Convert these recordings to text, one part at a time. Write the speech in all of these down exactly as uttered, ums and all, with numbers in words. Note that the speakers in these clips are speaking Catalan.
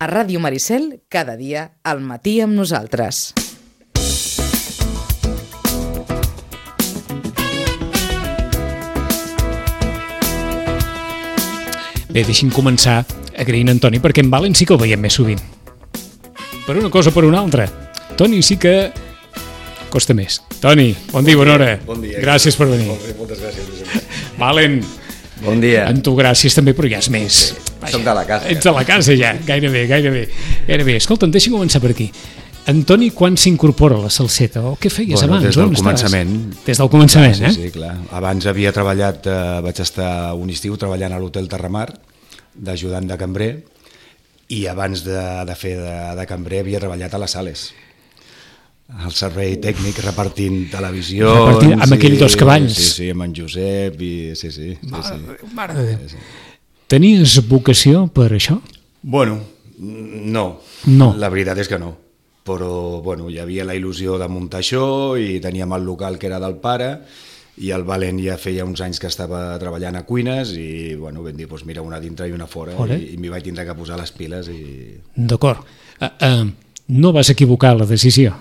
A Ràdio Maricel, cada dia, al matí amb nosaltres. Bé, deixi'm començar agraint en Toni, perquè en Valen sí que el veiem més sovint. Per una cosa o per una altra. Toni sí que costa més. Toni, bon dia, bona hora. Bon dia. Gràcies per venir. Molt bé, moltes gràcies. Valen, Bon dia. en tu gràcies també, però ja és més. Vaja, Som de la casa. Ets de la casa ja, gairebé, gairebé. gairebé. Escolta'm, deixa'm començar per aquí. Antoni, quan s'incorpora a la salseta? O què feies Bueno, abans? des del On estaves? començament. Des del començament, sí, eh? Sí, clar. Abans havia treballat, eh, vaig estar un estiu treballant a l'Hotel Terramar, d'ajudant de cambrer, i abans de, de fer de, de cambrer havia treballat a les Sales, al servei tècnic, repartint televisió. Repartint amb aquell dos cavalls. Sí, sí, amb en Josep, i sí, sí. sí, Mare, sí. mare de Déu. Sí, sí. Tenies vocació per això? Bueno, no. No. La veritat és que no. Però bueno, hi havia la il·lusió de muntar això i teníem el local que era del pare i el Valen ja feia uns anys que estava treballant a cuines i bueno, vam dir, doncs mira, una dintre i una fora. Fora. i, i m'hi vaig tindre que posar les piles i... D'acord. Uh, uh, no vas equivocar la decisió?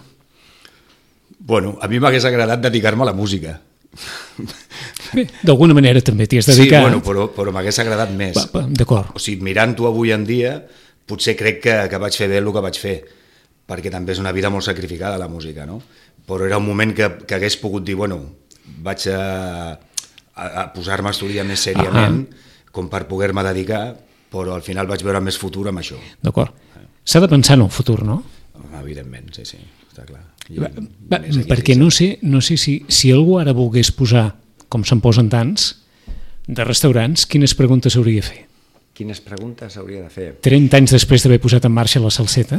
Bueno, a mi m'hagués agradat dedicar-me a la música. Bé, d'alguna manera també t'hi has Sí, dedicat. bueno, però, però m'hagués agradat més. Va, va, d'acord. O sigui, mirant-ho avui en dia, potser crec que, que vaig fer bé el que vaig fer, perquè també és una vida molt sacrificada la música, no? Però era un moment que, que hagués pogut dir, bueno, vaig a, a, a posar-me a estudiar més sèriament, ah, com per poder-me dedicar, però al final vaig veure més futur amb això. D'acord. S'ha de pensar en el futur, no? Evidentment, sí, sí, està clar. I, Va, va, perquè no sé, no sé si, si algú ara volgués posar, com se'n posen tants, de restaurants, quines preguntes hauria de fer? Quines preguntes hauria de fer? trenta anys després d'haver posat en marxa la salseta?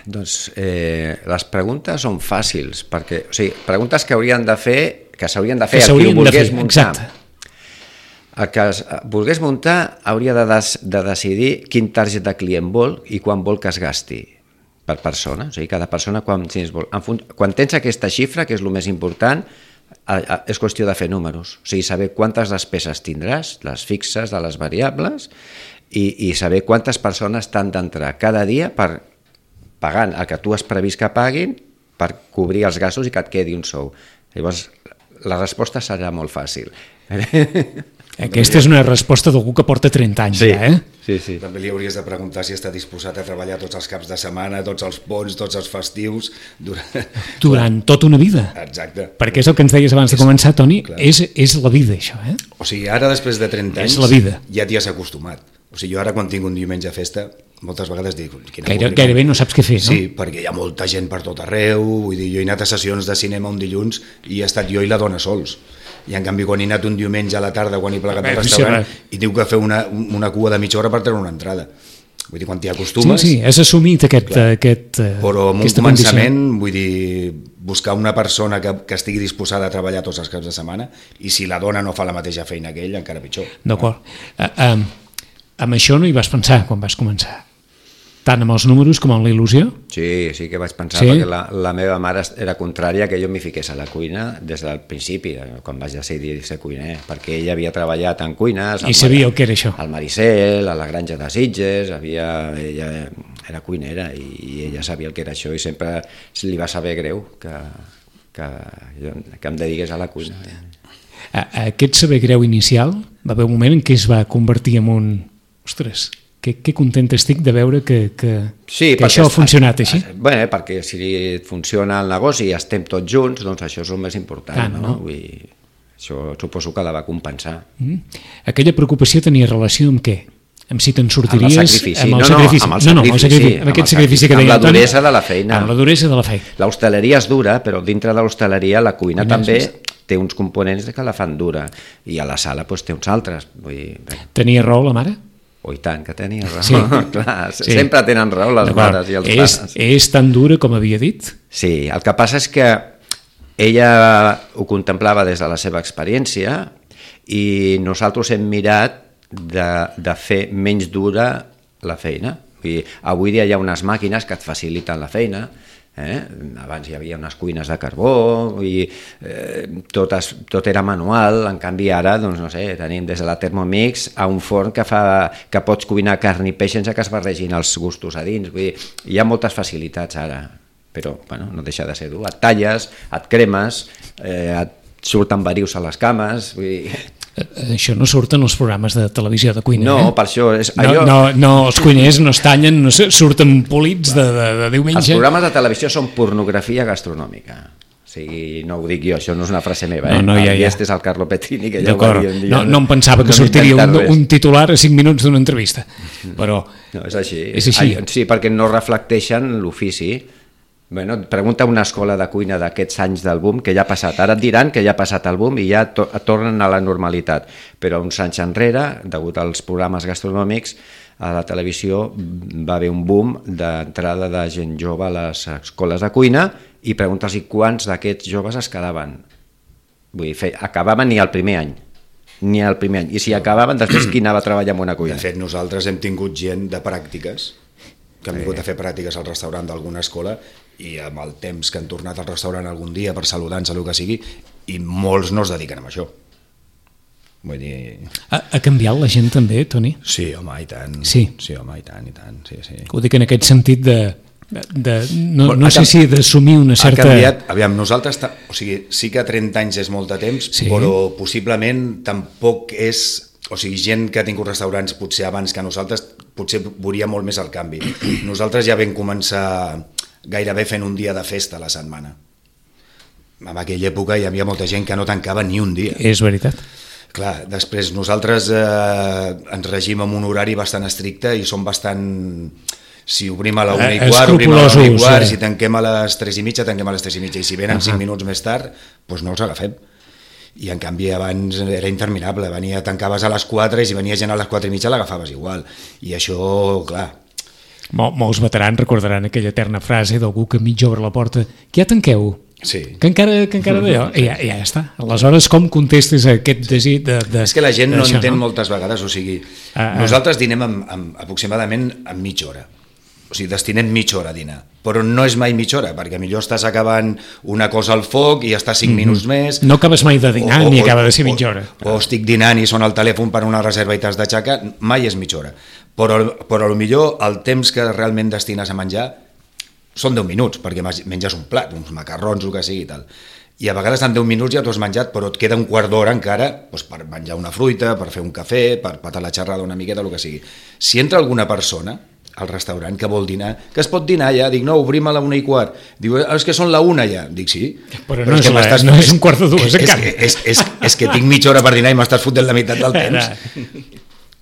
Doncs eh, les preguntes són fàcils, perquè, o sigui, preguntes que haurien de fer, que s'haurien de fer Que el qui ho s'haurien de volgués fer, muntar. exacte. El que es, volgués muntar hauria de, des, de decidir quin target de client vol i quan vol que es gasti per persona. O sigui, cada persona, quan, si es vol, en fun, quan tens aquesta xifra, que és el més important, a, a, és qüestió de fer números. O sigui, saber quantes despeses tindràs, les fixes de les variables, i, i saber quantes persones t'han d'entrar cada dia per pagant el que tu has previst que paguin per cobrir els gastos i que et quedi un sou. Llavors, la resposta serà molt fàcil. Aquesta és una resposta d'algú que porta trenta anys, Sí, ja, eh? sí, sí. També li hauries de preguntar si està disposat a treballar tots els caps de setmana, tots els ponts, tots els festius... Durant, Durant tota una vida. Exacte. Perquè és el que ens deies abans de començar, Toni, és, és la vida, això, eh? O sigui, ara després de trenta És anys la vida. ja t'hi has acostumat. O sigui, jo ara quan tinc un diumenge a festa, moltes vegades dic... Quina Gaire, pública. gairebé no saps què fer, no? Sí, perquè hi ha molta gent per tot arreu, vull dir, jo he anat a sessions de cinema un dilluns i he estat jo i la dona sols. I en canvi quan he anat un diumenge a la tarda, quan he plegat Bé, al sí, restaurant, sí, i tinc que fer una, una cua de mitja hora per treure una entrada. Vull dir, quan t'hi Sí, acostumes... sí, has assumit aquest... aquest eh, Però en un aquesta començament, condició. vull dir, buscar una persona que, que estigui disposada a treballar tots els caps de setmana, i si la dona no fa la mateixa feina que ell, encara pitjor. D'acord. Uh, uh, amb això no hi vas pensar quan vas començar? Tant amb els números com amb la il·lusió? Sí, sí que vaig pensar, Sí? perquè la, la meva mare era contrària que jo m'hi fiqués a la cuina des del principi, quan vaig decidir ser cuiner, perquè ella havia treballat en cuines... I sabia el que era això. Al Maricel, a la Granja de Sitges, havia, ella era cuinera i, i ella sabia el que era això i sempre li va saber greu que, que, jo, que em dediqués a la cuina. A, aquest saber greu inicial va haver un moment en què es va convertir en un... Ostres, que, que content estic de veure que, que, Sí, que això ha funcionat així. Bé, perquè si funciona el negoci i estem tots junts, doncs això és el més important. Tant, no? no? Vull dir, això suposo que la va compensar. Mm. Aquella preocupació tenia relació amb què? Amb si te'n sortiries... Amb el sacrifici. Amb el No, no, sacrifici. amb el no, no, amb, el sacrifici, sacrifici. amb amb aquest el sacrifici que sacrifici, deia amb la Toni. duresa de la feina. Amb la duresa de la feina. L'hostaleria és dura, però dintre de l'hostaleria la cuina Cuina també és- té uns components que la fan dura i a la sala doncs, té uns altres. Vull dir, bé, Tenia raó la mare? oh, i tant que tenia raó. Sí. Clar, Sí. sempre tenen raó les D'acord. mares i els és, pares. és tan dura com havia dit? Sí, el que passa és que ella ho contemplava des de la seva experiència i nosaltres hem mirat de, de fer menys dura la feina. Vull dir, avui dia hi ha unes màquines que et faciliten la feina, Eh? Abans hi havia unes cuines de carbó i eh, tot, es, tot era manual, en canvi ara doncs, no sé, tenim des de la Thermomix a un forn que, fa, que pots cuinar carn i peix sense que es barregin els gustos a dins. Vull dir, hi ha moltes facilitats ara, però bueno, no deixa de ser dur. Et talles, et cremes, eh, et surten verius a les cames, vull dir... Això no surt en els programes de televisió de cuina, no, eh? No, per això... És, no, allò... no, no, els cuiners no es tallen, no surten polits de, de, de diumenge. Els programes de televisió són pornografia gastronòmica. O sigui, no ho dic jo, això no és una frase meva, eh? No, no, ja, ja. Este és el Carlo Petrini, que ja ho va dir un dia. No, no em pensava que no sortiria un, un titular a cinc minuts d'una entrevista, però... No, és així. És així. Sí, perquè no reflecteixen l'ofici. Bueno, pregunta una escola de cuina d'aquests anys del boom, que ja ha passat. Ara et diran que ja ha passat el boom i ja to tornen a la normalitat. Però uns anys enrere, degut als programes gastronòmics, a la televisió va haver un boom d'entrada de gent jove a les escoles de cuina i preguntes-hi quants d'aquests joves es quedaven. Vull dir, fe, acabaven ni el primer any. Ni el primer any. I si acabaven, després qui anava a treballar en una cuina? De fet, nosaltres hem tingut gent de pràctiques que han vingut a fer pràctiques al restaurant d'alguna escola i amb el temps que han tornat al restaurant algun dia per saludar-nos, el que sigui, i molts no es dediquen a això. Vull dir... Ha, ha canviat la gent també, Toni? Sí, home, i tant. Sí. Sí, home, i tant, i tant, sí, sí. Ho dic en aquest sentit de... de no Bueno, no sé si d'assumir una certa... Ha canviat, aviam, nosaltres, o sigui, sí que trenta anys és molt de temps, sí. Però possiblement tampoc és... O sigui, gent que ha tingut restaurants potser abans que nosaltres, potser veuria molt més el canvi. Nosaltres ja vam començar gairebé fent un dia de festa a la setmana. En aquella època hi havia molta gent que no tancava ni un dia. És veritat. Clar, després nosaltres eh, ens regim amb un horari bastant estricte i som bastant... Si obrim a la una i quart, obrim a la una i quart, si tanquem a les tres i mitja, tanquem a les tres i mitja, i si venen cinc minuts més tard, doncs no els agafem. I en canvi abans era interminable, venia, tancaves a les quatre i si venia gent a les quatre i mitja l'agafaves igual, i això, clar... Mol, molts veterans recordaran aquella eterna frase d'algú que mig obre la porta, que ja tanqueu, sí. que encara, que encara d'allò, i ja, ja està. Aleshores, com contestes a aquest desig de, de... És que la gent no això, entén no? moltes vegades, o sigui, ah, ah. nosaltres dinem amb, amb, aproximadament en mitja hora. O sigui, destinem mitja hora a dinar, però no és mai mitja hora, perquè millor estàs acabant una cosa al foc i estàs cinc mm-hmm. minuts més... No acabes mai de dinar, o, ni o, acaba de ser mitja hora. O, o estic dinant i sona el telèfon per una reserva i t'has d'aixecar, mai és mitja hora. Però, però potser el temps que realment destines a menjar són deu minuts, perquè menges un plat, uns macarrons, el que sigui i tal. I a vegades en deu minuts ja t'ho has menjat, però et queda un quart d'hora encara doncs, per menjar una fruita, per fer un cafè, per patar la xerrada una miqueta, el que sigui. Si entra alguna persona al restaurant que vol dinar, que es pot dinar ja, dic, no, obrim a la una i quart, diu, és que són la una ja, dic, sí, però, però no, és, és, la, no és un quart de dues encara, és, és, és, és que tinc mitja hora per dinar i m'estàs fotent la meitat del temps,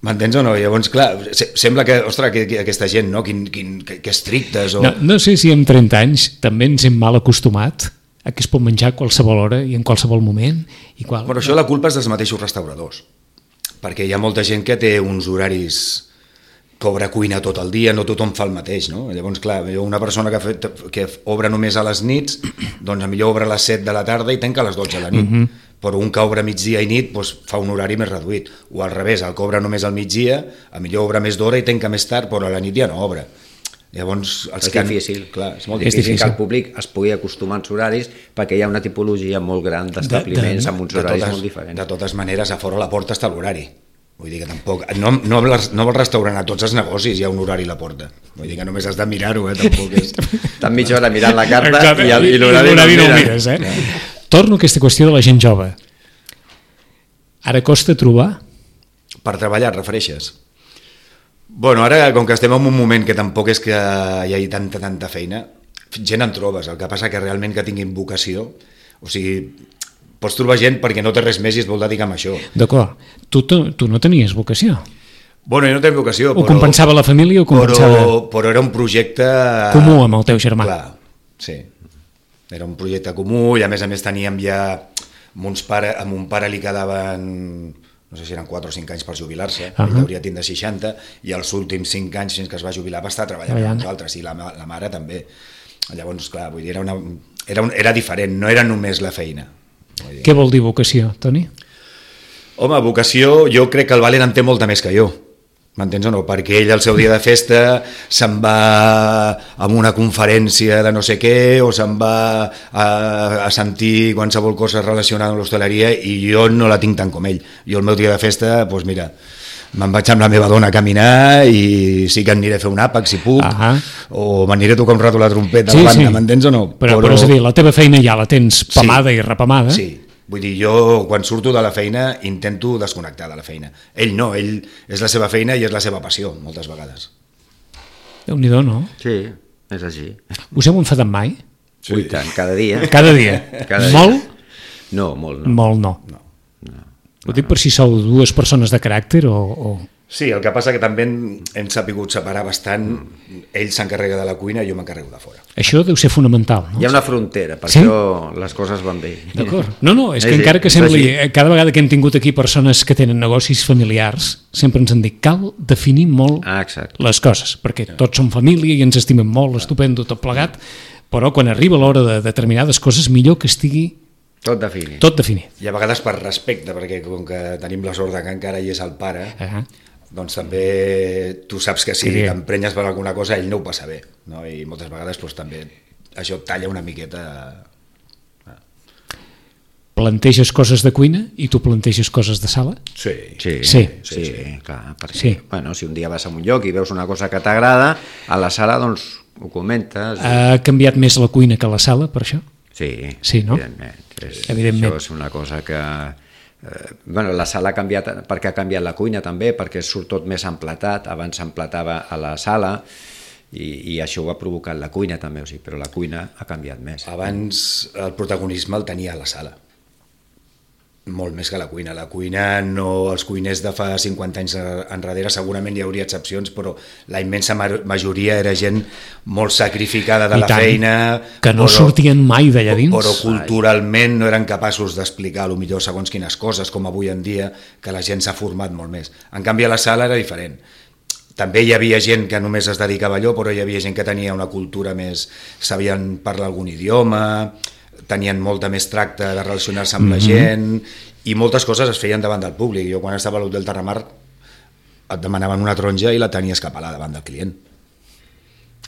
m'entens o no? Llavors, clar, sembla que, ostres, que, que aquesta gent, no, quin, quin, que, que estrictes o... no, no sé si amb trenta anys també ens hem mal acostumat a que es pot menjar a qualsevol hora i en qualsevol moment i qual... Però això la culpa és dels mateixos restauradors, perquè hi ha molta gent que té uns horaris que obre cuina tot el dia, no tothom fa el mateix, no? Llavors, clar, una persona que, fet, que obre només a les nits, doncs millor obre a les set de la tarda i tanca a les dotze de la nit. Mm-hmm. Però un que obre migdia i nit doncs, fa un horari més reduït. O al revés, el que obre només al migdia, a millor obre més d'hora i tanca més tard, però a la nit ja no obre. Llavors, els és que... difícil, clar, és molt difícil, és difícil que el públic es pugui acostumar als horaris perquè hi ha una tipologia molt gran d'establiments amb uns horaris totes, molt diferents. De totes maneres, a fora la porta està l'horari. Vull dir que tampoc... No, no, no al restaurant, a tots els negocis hi ha un horari a la porta. Vull dir que només has de mirar-ho, eh? Tampoc és... Estan mitja hora mirant la carta exacte, i, el, i l'horari no, no el mires, eh? Ja. Torno a aquesta qüestió de la gent jove. Ara costa trobar? Per treballar, et refereixes? Bueno, ara, com que estem en un moment que tampoc és que hi hagi tanta, tanta feina, gent en trobes. El que passa que realment que tinguin vocació, o sigui... Pots trobar gent perquè no té res més i es vol dedicar a això. D'acord. Tu, tu, tu no tenies vocació? Bueno, jo no tenia vocació, però... O compensava la família o compensava... Però, però era un projecte... comú amb el teu germà. Clar, sí. Era un projecte comú i a més a més teníem ja... Amb, uns pare, amb un pare li quedaven... No sé si eren quatre o cinc anys per jubilar-se, uh-huh. Ell hauria tindre seixanta, i els últims cinc anys fins que es va jubilar va estar treballant amb nosaltres, i la, la mare també. Llavors, clar, vull dir, era, una, era, un, era diferent, no era només la feina. Què vol dir vocació, Toni? Home, vocació, jo crec que el Valen en té molta més que jo. M'entens o no? Perquè ell al seu dia de festa se'n va a una conferència de no sé què o se'n va a, a sentir qualsevol cosa relacionada amb l'hostaleria i jo no la tinc tant com ell. Jo el meu dia de festa, doncs mira, me'n vaig amb la meva dona a caminar i sí que aniré a fer un àpac si puc, ah o m'aniré a tocar un rato la trompeta sí, a la banda, sí. m'entens o no? Però, però... però és a dir, la teva feina ja la tens pamada sí. i repamada. Sí. Vull dir, jo quan surto de la feina intento desconnectar de la feina. Ell no, ell és la seva feina i és la seva passió, moltes vegades. Déu-n'hi-do, no? Sí, és així. Us heu enfadat mai? Sí. Ui, tant, cada dia. Cada dia? Cada Molt? Dia. No, molt no. Molt no. No. no. Ho dic per si sou dues persones de caràcter o... o... Sí, el que passa que també hem sapigut separar bastant. Ell s'encarrega de la cuina i jo m'encarrego de fora. Això deu ser fonamental, no? Hi ha una frontera, per sí? això les coses van bé. D'acord. No, no, és que sí, encara que sembli... sí. Cada vegada que hem tingut aquí persones que tenen negocis familiars, sempre ens han dit cal definir molt ah, les coses, perquè tots som família i ens estimem molt, estupendo, tot plegat, però quan arriba l'hora de determinades coses, millor que estigui tot definit. Tot definit. I a vegades per respecte, perquè com que tenim la sort que encara hi és el pare, Uh-huh. doncs també tu saps que si Sí. t'emprenyes per alguna cosa ell no ho passa bé, no? I moltes vegades doncs, també això talla una miqueta. Planteges coses de cuina i tu planteges coses de sala? Sí. Sí, Sí. sí, sí, sí, clar, perquè, Sí. bueno, si un dia vas a un lloc i veus una cosa que t'agrada, a la sala doncs ho comentes. Ha canviat més la cuina que la sala, per això? Sí, Sí, no? evidentment. És, Evidentment. Això és una cosa que... Eh, bueno, la sala ha canviat perquè ha canviat la cuina també, perquè surt tot més emplatat, abans s'emplatava a la sala i, i això ho ha provocat la cuina també, o sigui, però la cuina ha canviat més. Abans el protagonisme el tenia a la sala, molt més que la cuina. La cuina, no, els cuiners de fa cinquanta anys enrere segurament hi hauria excepcions, però la immensa majoria era gent molt sacrificada de I la tant, feina, que no però, sortien mai d'allà dins. però culturalment no eren capaços d'explicar a lo millor segons quines coses, com avui en dia, que la gent s'ha format molt més. En canvi a la sala era diferent. També hi havia gent que només es dedicava a allò, però hi havia gent que tenia una cultura més, sabien parlar algun idioma, tenien molta més tracte de relacionar-se amb mm-hmm. la gent, i moltes coses es feien davant del públic. Jo quan estava a l'Hotel Terramar et demanaven una taronja i la tenies que pelar davant del client.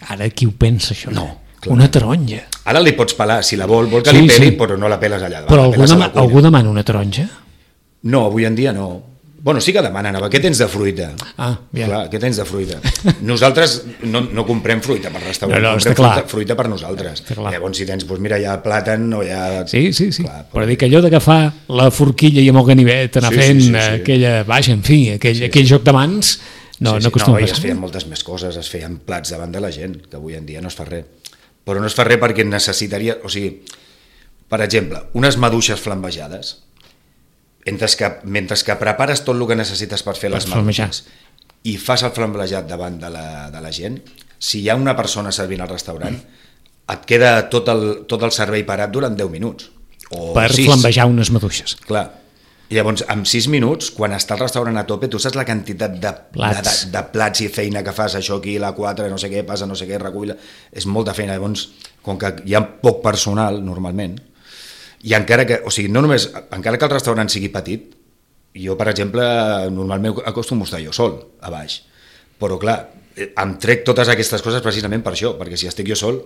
Ara qui ho pensa, això? No, clar. Una taronja. Ara li pots pelar, si la vol, vol que Sí, li peli, sí. però no la peles allà davant. Però la algú, peles a dema, la cuina. algú demana una taronja? No, avui en dia no. Bueno, sí que demanen, què tens de fruita? Ah, ja. Clar, què tens de fruita? Nosaltres no, no comprem fruita per restaurant, No, no, comprem està clar. fruita, fruita per nosaltres. Està clar. Llavors, si tens, doncs mira, hi ha plàtan o hi ha... Sí, sí, sí. Clar, però dic, allò d'agafar la forquilla i amb el ganivet, anar Sí, sí, fent sí, sí. aquella... Vaja, en fi, aquell, Sí, sí. aquell joc de mans no, sí, no sí. acostuma no, a i es passar. feien moltes més coses, es feien plats davant de la gent, que avui en dia no es fa res. Però no es fa res perquè necessitaria... O sigui, per exemple, unes maduixes flambejades, mentre que, mentre que prepares tot el que necessites per fer Per les flambejar. maduixes i fas el flambejat davant de la, de la gent, si hi ha una persona servint al restaurant, et queda tot el, tot el servei parat durant deu minuts. O Per sis. flambejar unes maduixes. Clar. I llavors, en sis minuts, quan està el restaurant a tope, tu saps la quantitat de Plats. de, de, de plats i feina que fas, això aquí, la quatre, no sé què, passa no sé què, recull... És molta feina. Llavors, com que hi ha poc personal, normalment, i encara que, o sigui, no només, encara que el restaurant sigui petit, jo, per exemple, normalment acostumo a estar jo sol, a baix. Però, clar, em trec totes aquestes coses precisament per això, perquè si estic jo sol,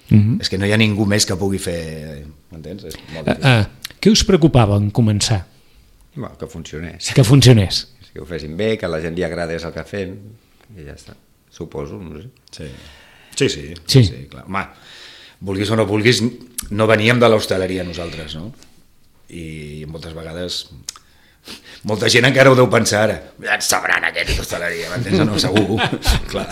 mm-hmm. és que no hi ha ningú més que pugui fer... M'entens? És molt Uh, difícil. uh, què us preocupava en començar? Bueno, que funcionés. Que funcionés. Que ho fessin bé, que a la gent li agradés el que fem, i ja està. Suposo, no sé. Sí, sí, sí, Sí. sí, sí clar. Home, vulguis o no vulguis, no veníem de l'hostaleria nosaltres, no? I moltes vegades molta gent encara ho deu pensar ara, ja et sabran aquest d'hostaleria, m'entens o no? Segur, clar.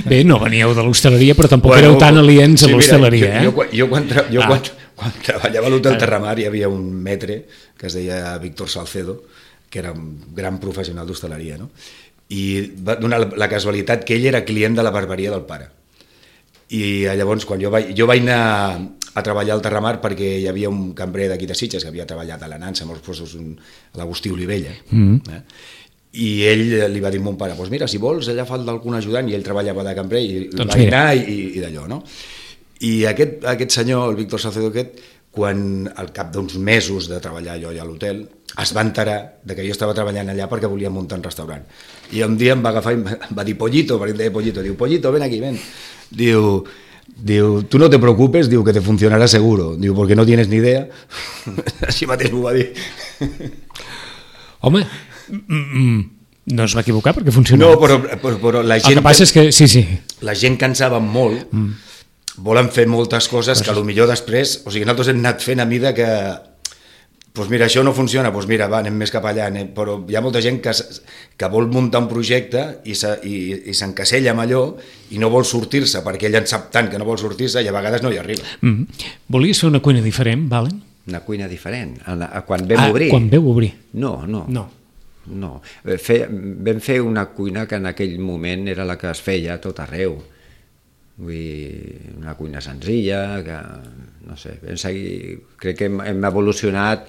Bé, no veníeu de l'hostaleria, però tampoc Bueno, éreu tan aliens sí, a l'hostaleria, mira, jo, eh? jo, quan- jo, quan, tra jo Ah. quan, quan treballava a l'Hotel Terramar hi havia un metre que es deia Víctor Salcedo, que era un gran professional d'hostaleria, no? I va donar la, la casualitat que ell era client de la barberia del pare. I llavors, quan jo vaig, jo vaig anar a treballar al Terramar perquè hi havia un cambrer d'aquí de Sitges que havia treballat a la Nansa, molts puestos a l'Agustí Olivella, mm. eh? I ell li va dir a mon pare, pues mira, si vols, allà falta algun ajudant, i ell treballava de cambrer, i Doncs va mira. anar i, i d'allò, no? I aquest, aquest senyor, el Víctor Salcedo aquest, quan al cap d'uns mesos de treballar jo allà a l'hotel, es va enterar de que jo estava treballant allà perquè volia muntar un restaurant. I un dia em va agafar i em va dir Pollito, perquè em deia Pollito, diu, Pollito, ven aquí, ven. Diu, diu, tú no te preocupes, diu, que te funcionará seguro, diu, porque no tienes ni idea. Així mateix m'ho va dir. Home, no es va equivocar perquè funcionava. No, però, però, però la gent... El que passa és que, sí, sí. La gent que en saben molt, mm. volen fer moltes coses que potser després, o sigui, nosaltres hem anat fent a mida que, doncs mira, això no funciona, doncs mira, va, anem més cap allà, anem. Però hi ha molta gent que, que vol muntar un projecte i s'encasella amb allò i no vol sortir-se, perquè ell en sap tant que no vol sortir-se i a vegades no hi arriba. Mm. Volies fer una cuina diferent, Valen? Una cuina diferent? Quan vam ah, obrir? Quan vau obrir? No, no. No. no. Fe, vam fer una cuina que en aquell moment era la que es feia a tot arreu. Vull dir, una cuina senzilla, que, no sé, vam seguir, crec que hem, hem evolucionat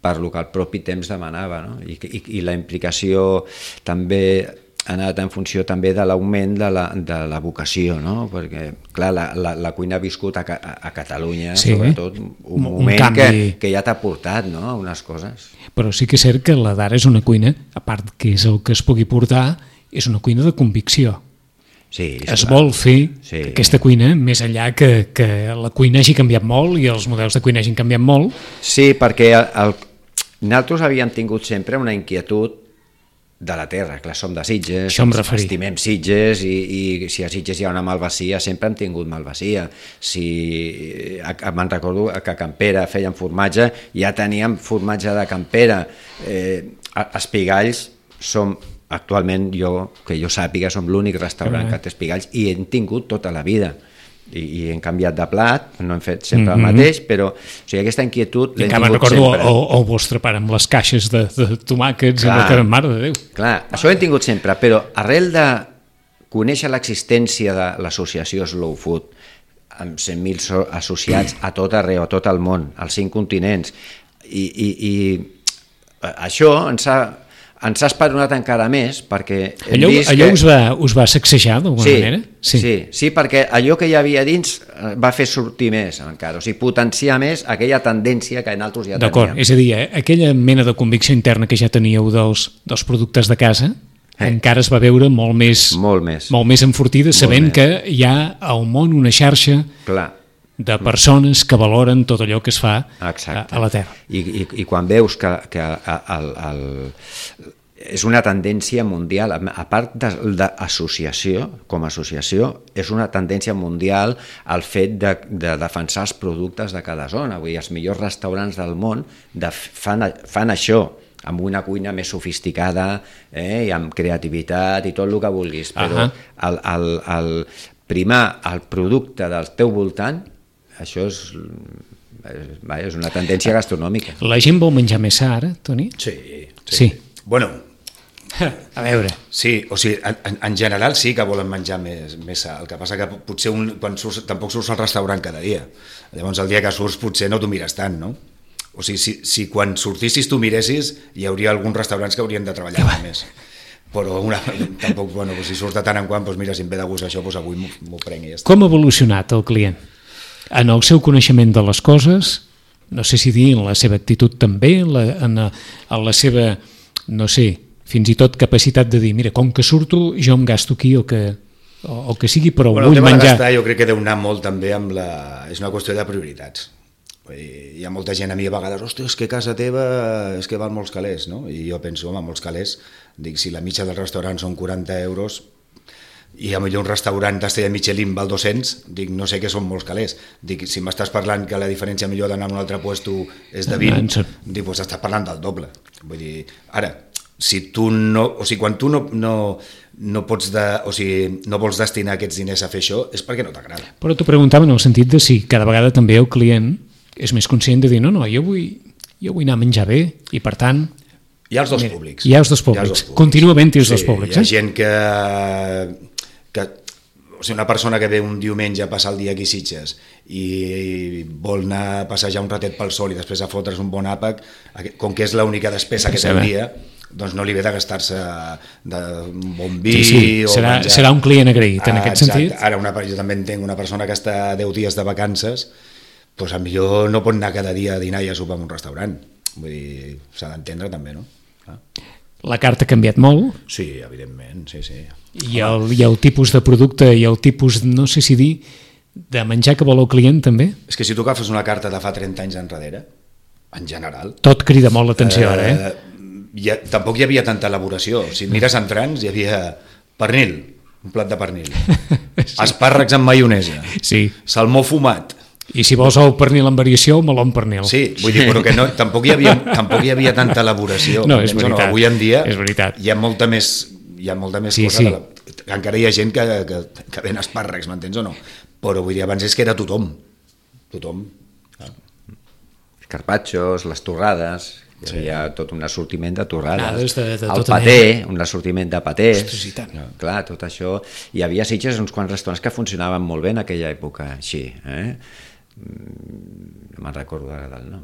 per lo que el propi temps demanava, no? I, i, i la implicació també ha anat en funció també de l'augment de, la, de la vocació, no? Perquè, clar, la, la, la cuina ha viscut a, a, a Catalunya, sí, sobretot, un, un moment canvi... que, que ja t'ha portat, no?, unes coses. Però sí que és cert que la d'ara és una cuina, a part que és el que es pugui portar, és una cuina de convicció. Sí, es clar. Vol fer sí. aquesta cuina més enllà que, que la cuina hagi canviat molt i els models de cuina hagin canviat molt. Sí, perquè el, nosaltres havíem tingut sempre una inquietud de la terra, clar, som de Sitges, estimem Sitges i, i si a Sitges hi ha una malvasia sempre hem tingut malvasia. Si, me'n recordo que a Campera feien formatge, ja teníem formatge de Campera. Eh, Espigalls som actualment, jo, que jo sàpiga, som l'únic restaurant que té espigalls i hem tingut tota la vida. I, i hem canviat de plat, no hem fet sempre mm-hmm. el mateix, però o sigui, aquesta inquietud l'hem tingut recordo sempre. El, el vostre pare amb les caixes de, de tomàquets, clar, i la mare de Déu. Clar, això ho hem tingut sempre, però arrel de conèixer l'existència de l'associació Slow Food, amb cent mil associats a tot arreu, a tot el món, als cinc continents, i, i, i això ens ha... ens ha esperonat encara més perquè hem allò, vist allò que... us, va, us va sacsejar d'alguna sí, manera? Sí. sí, sí, perquè allò que hi havia dins va fer sortir més encara, o sigui, potenciar més aquella tendència que nosaltres ja teníem. D'acord, és a dir, eh, aquella mena de convicció interna que ja teníeu dels, dels productes de casa eh. encara es va veure molt més, molt més, molt més enfortida, sabent més. Que hi ha al món una xarxa clar. De persones que valoren tot allò que es fa a, a la terra. I, i, i quan veus que, que el, el, és una tendència mundial, a part d'associació, com a associació, és una tendència mundial el fet de, de defensar els productes de cada zona. Vull dir, els millors restaurants del món de, fan, fan això, amb una cuina més sofisticada eh, i amb creativitat i tot el que vulguis, però uh-huh. el, el, el primar el producte del teu voltant, això és, és una tendència gastronòmica. La gent vol menjar més sa ara, Toni? Sí. Sí. sí. Bueno, a veure. Sí, o sigui, en, en general sí que volen menjar més, més sa. El que passa que potser un, quan surts, tampoc surts al restaurant cada dia. Llavors el dia que surts potser no t'ho mires tant, no? O sigui, si, si quan sortissis tu miressis, hi hauria alguns restaurants que haurien de treballar més. Però una, tampoc, bueno, si surt de tant en quant, doncs mira, si em ve de gust això, doncs avui m'ho prenc i ja està. Com ha evolucionat el client? En el seu coneixement de les coses, no sé si dir en la seva actitud també, en la, en la, en la seva, no sé, fins i tot capacitat de dir, mira, com que surto, jo em gasto aquí o que, o, o que sigui, però bueno, vull menjar... El tema de gastar jo crec que deu anar molt també amb la... És una qüestió de prioritats. Hi ha molta gent a mi a vegades, hòstia, és que casa teva és que val molts calés, no? I jo penso, home, molts calés, dic, si la mitja del restaurant són quaranta euros, i a millor un restaurant d'estrella Michelin val dos-cents, dic, no sé què són molts calés. Dic, si m'estàs parlant que la diferència millor d'anar a un altre puesto és de vint, dic, doncs estàs parlant del doble. Vull dir, ara, si tu no, o sigui, quan tu no, no, no pots de, o sigui, no vols destinar aquests diners a fer això, és perquè no t'agrada. Però t'ho preguntava en el sentit de si cada vegada també el client és més conscient de dir, no, no, jo vull, jo vull anar a menjar bé, i per tant... Hi ha els dos públics. Hi ha els dos públics. Els dos públics. Continua havent-hi els sí, dos públics. Hi ha eh? gent que... que o sigui, una persona que ve un diumenge a passar el dia aquí a Sitges i vol anar a passejar un ratet pel sol i després a fotre's un bon àpac, com que és l'única despesa que té el dia, doncs no li ve de gastar-se d'un bon vi sí, sí. o serà, menjar. Serà un client agraït en ah, aquest exacte. Sentit. Ara una, jo també entenc una persona que està deu dies de vacances, doncs potser no pot anar cada dia a dinar i a sopar en un restaurant. vull dir, s'ha d'entendre també, no? Ah. La carta ha canviat molt. Sí, evidentment, sí, sí. I el, i el tipus de producte i el tipus, no sé si dir, de menjar que vol el client també. És que si tu agafes una carta de fa trenta anys enrere, en general... Tot crida molt l'atenció ara, eh? Ja, tampoc hi havia tanta elaboració. Si mires entrants, hi havia pernil, un plat de pernil, sí. Espàrrecs amb maionesa, sí. Salmó fumat. I si vols el pernil amb variació, meló amb pernil. Sí, vull dir, però que no, tampoc, hi havia, tampoc hi havia tanta elaboració. No, és veritat. No? Avui en dia és veritat. hi ha molta més, hi ha molta més sí, cosa. Sí. De la... Encara hi ha gent que, que, que ven espàrrecs, m'entens o no? Però vull dir, abans és que era tothom. Tothom. Ah. Carpaccios, les torrades, hi havia sí. tot un assortiment de torrades, de, de el paté, un assortiment de patés. Ostres, i tant. Clar, tot això. Hi havia a Sitges uns quants restaurants que funcionaven molt bé en aquella època, així. Eh? No me'n recordo ara del nom.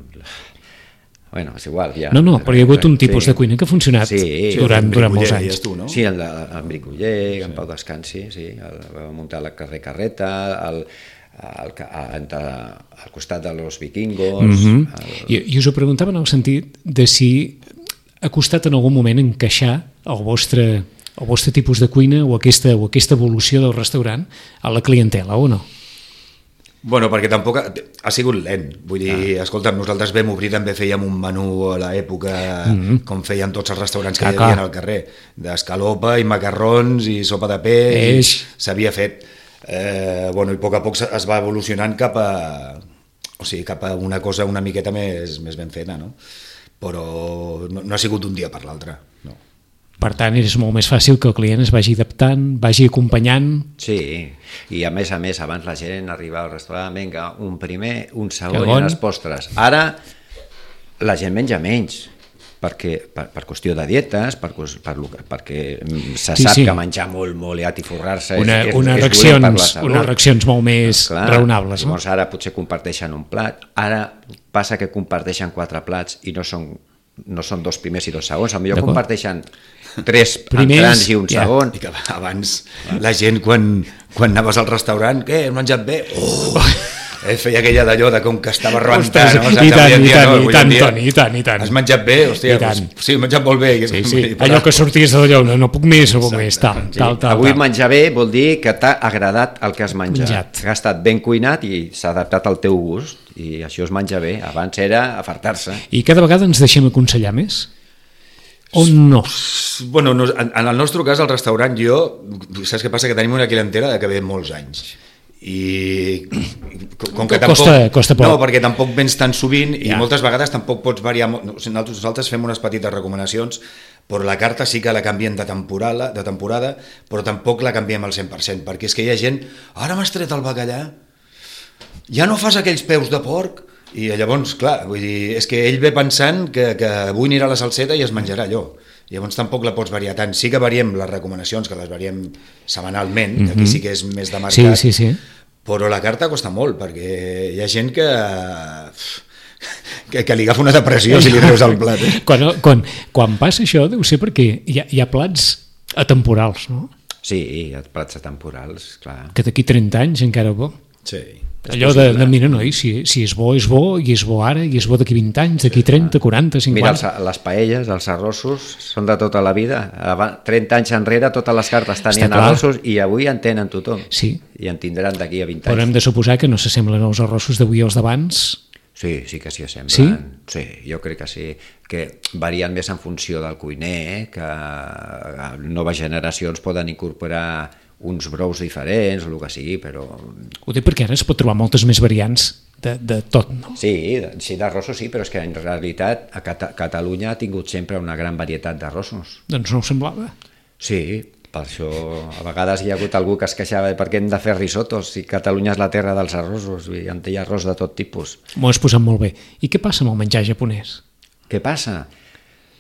Bueno, és igual. Ja. No, no, però hi ha hagut un tipus sí. de cuina que ha funcionat sí, durant, durant molts anys. Tu, no? Sí, el en Bricoller, en sí. Pau Descansi, sí, el, va muntar la carrer Carreta, el, el, el, al costat de los vikingos... Mm-hmm. el... I, I us ho preguntava en el sentit de si ha costat en algun moment encaixar el vostre, el vostre tipus de cuina o aquesta, o aquesta evolució del restaurant a la clientela, o no? Bueno, perquè tampoc ha, ha sigut lent. Vull dir, ah. escolta, nosaltres vam obrir, també fèiem un menú a l'època, mm-hmm. com feien tots els restaurants que ah, hi havia al carrer, d'escalopa i macarrons i sopa de peix, s'havia fet. Eh, bueno, i a poc a poc es va evolucionant cap a, o sigui, cap a una cosa una miqueta més, més ben feta, no? Però no, no ha sigut un dia per l'altre, no. Per tant, és molt més fàcil que el client es vagi adaptant, vagi acompanyant... Sí, i a més a més, abans la gent arribava al restaurant, vinga, un primer, un segon i unes postres. Ara la gent menja menys, perquè, per, per qüestió de dietes, per, per, perquè se sí, sap sí. que menjar molt, molt i atiforrar-se una, és, una és, és reaccions, per la salut. Unes reaccions molt més Clar, raonables. Llavors no? Ara potser comparteixen un plat, ara passa que comparteixen quatre plats i no són, no són dos primers i dos segons, potser comparteixen tres primers, entrants i un ja. segon. I que abans la gent quan, quan anaves al restaurant, què, has menjat bé? Oh! Eh, feia aquella d'allò de com que estava rebentant. No? I tant, i tant, i tant, Toni, i tant, i tant. Has menjat bé? Hòstia, pues, sí, he menjat molt bé. Sí, sí. Allò que sorties d'allò, no, no puc més, no puc més, tal, sí. tal, tal. Avui tal. menjar bé vol dir que t'ha agradat el que has menjat. menjat. Que ha estat ben cuinat i s'ha adaptat al teu gust, i això es menja bé. Abans era afartar-se. I cada vegada ens deixem aconsellar més? O no? Bueno, no, en, en el nostre cas, al restaurant, jo, saps què passa? Que tenim una clientela de que ve molts anys. I com que tampoc, costa, costa poc. No, perquè tampoc vens tan sovint i ja. moltes vegades tampoc pots variar. Nosaltres, nosaltres fem unes petites recomanacions, però la carta sí que la canviem de temporada, de temporada, però tampoc la canviem al cent per cent, perquè és que hi ha gent, ara m'has tret el bacallà, ja no fas aquells peus de porc. I llavors, clar, vull dir, és que ell ve pensant que, que avui anirà a la salseta i es menjarà allò. Llavors tampoc la pots variar tant. Sí que variem les recomanacions, que les variem setmanalment, mm-hmm. que aquí sí que és més de mercat, sí, sí, sí. Però la carta costa molt, perquè hi ha gent que, que, que li agafa una depressió si li treus el plat. Eh? Quan, quan, quan passa això deu ser perquè hi ha, hi ha plats atemporals, no? Sí, hi ha plats atemporals, clar. Que d'aquí trenta anys encara bo. Sí. Allò de, de mira, no, si, si és bo, és bo, i és bo ara, i és bo d'aquí vint anys, d'aquí trenta, quaranta, cinquanta... Mira, els, les paelles, els arrossos, són de tota la vida. trenta anys enrere totes les cartes tenien arrossos i avui en tenen tothom. Sí. I en tindran d'aquí a vint anys. Però hem de suposar que no s'assemblen els arrossos d'avui als d'abans. Sí, sí que s'hi assemblen. Sí? Sí, jo crec que sí. Que varien més en funció del cuiner, eh? Que noves generacions poden incorporar uns brous diferents, o el que sigui, però... Ho dic perquè ara es pot trobar moltes més variants de, de tot, no? Sí, sí d'arrossos sí, però és que en realitat a Cata- Catalunya ha tingut sempre una gran varietat d'arrossos. Doncs no ho semblava. Sí, per això a vegades hi ha hagut algú que es queixava per què hem de fer risotos si Catalunya és la terra dels arrossos i en té arròs de tot tipus. M'ho has posat molt bé. I què passa amb el menjar japonès? Què passa?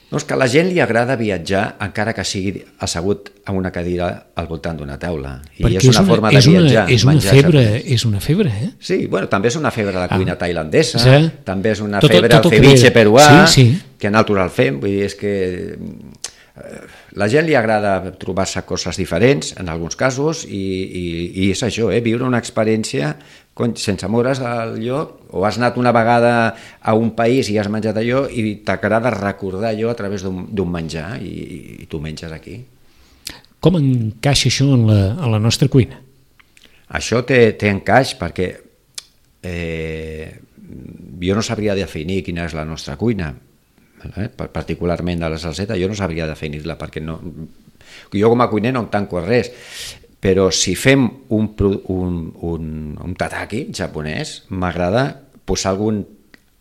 No, és que a la gent li agrada viatjar encara que sigui assegut en una cadira al voltant d'una taula. I perquè és una, una forma de viatjar. És una, febre, és una febre, eh? Sí, bueno, també és una febre de cuina ah. tailandesa, sí. també és una tot, febre tot del ceviche peruà, sí, sí. que nosaltres el fem. Vull dir, és que la gent li agrada trobar-se coses diferents, en alguns casos, i, i, i és això, eh? Viure una experiència sense moure's del lloc, o has anat una vegada a un país i has menjat allò i t'agrada recordar allò a través d'un menjar i, i tu menges aquí. Com encaixa això en la, en la nostra cuina? Això té, té encaix perquè eh, jo no sabria definir quina és la nostra cuina, eh? Particularment de la salseta, jo no sabria definir-la perquè no, jo com a cuiner no em tanco a res, però si fem un, un, un, un tataki japonès, m'agrada posar algun,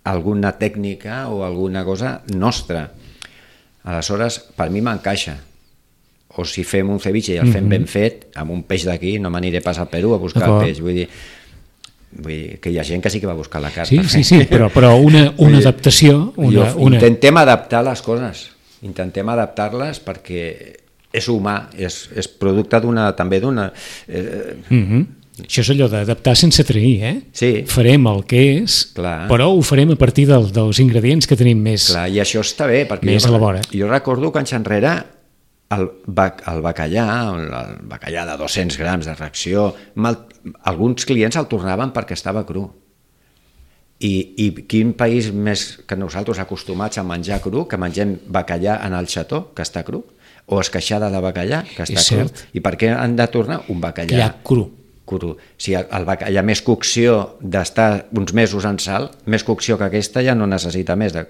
alguna tècnica o alguna cosa nostra. Aleshores, per mi m'encaixa. O si fem un ceviche i el fem mm-hmm. ben fet, amb un peix d'aquí, no m'aniré pas al Perú a buscar el peix. Vull dir, vull dir que hi ha gent que sí que va buscar la carn. Sí, sí, sí, però, però una, una adaptació... Una, una... Intentem adaptar les coses, intentem adaptar-les perquè és humà, és, és producte d'una, també d'una... Eh... Mm-hmm. Això és allò d'adaptar sense trair, eh? Sí. Farem el que és, clar, però ho farem a partir del, dels ingredients que tenim més... Clar, i això està bé, perquè més jo, a la vora. Jo recordo que anys enrere el, bac, el bacallà, el bacallà de dos-cents grams de ració, mal, alguns clients el tornaven perquè estava cru. I, I quin país més que nosaltres acostumats a menjar cru, que mengem bacallà en el xató, que està cru, o esqueixada de bacallà, que està és cru. cert. I per què han de tornar un bacallà ja cru? cru. Si el bacallà més cocció d'estar uns mesos en sal, més cocció que aquesta ja no necessita més. De...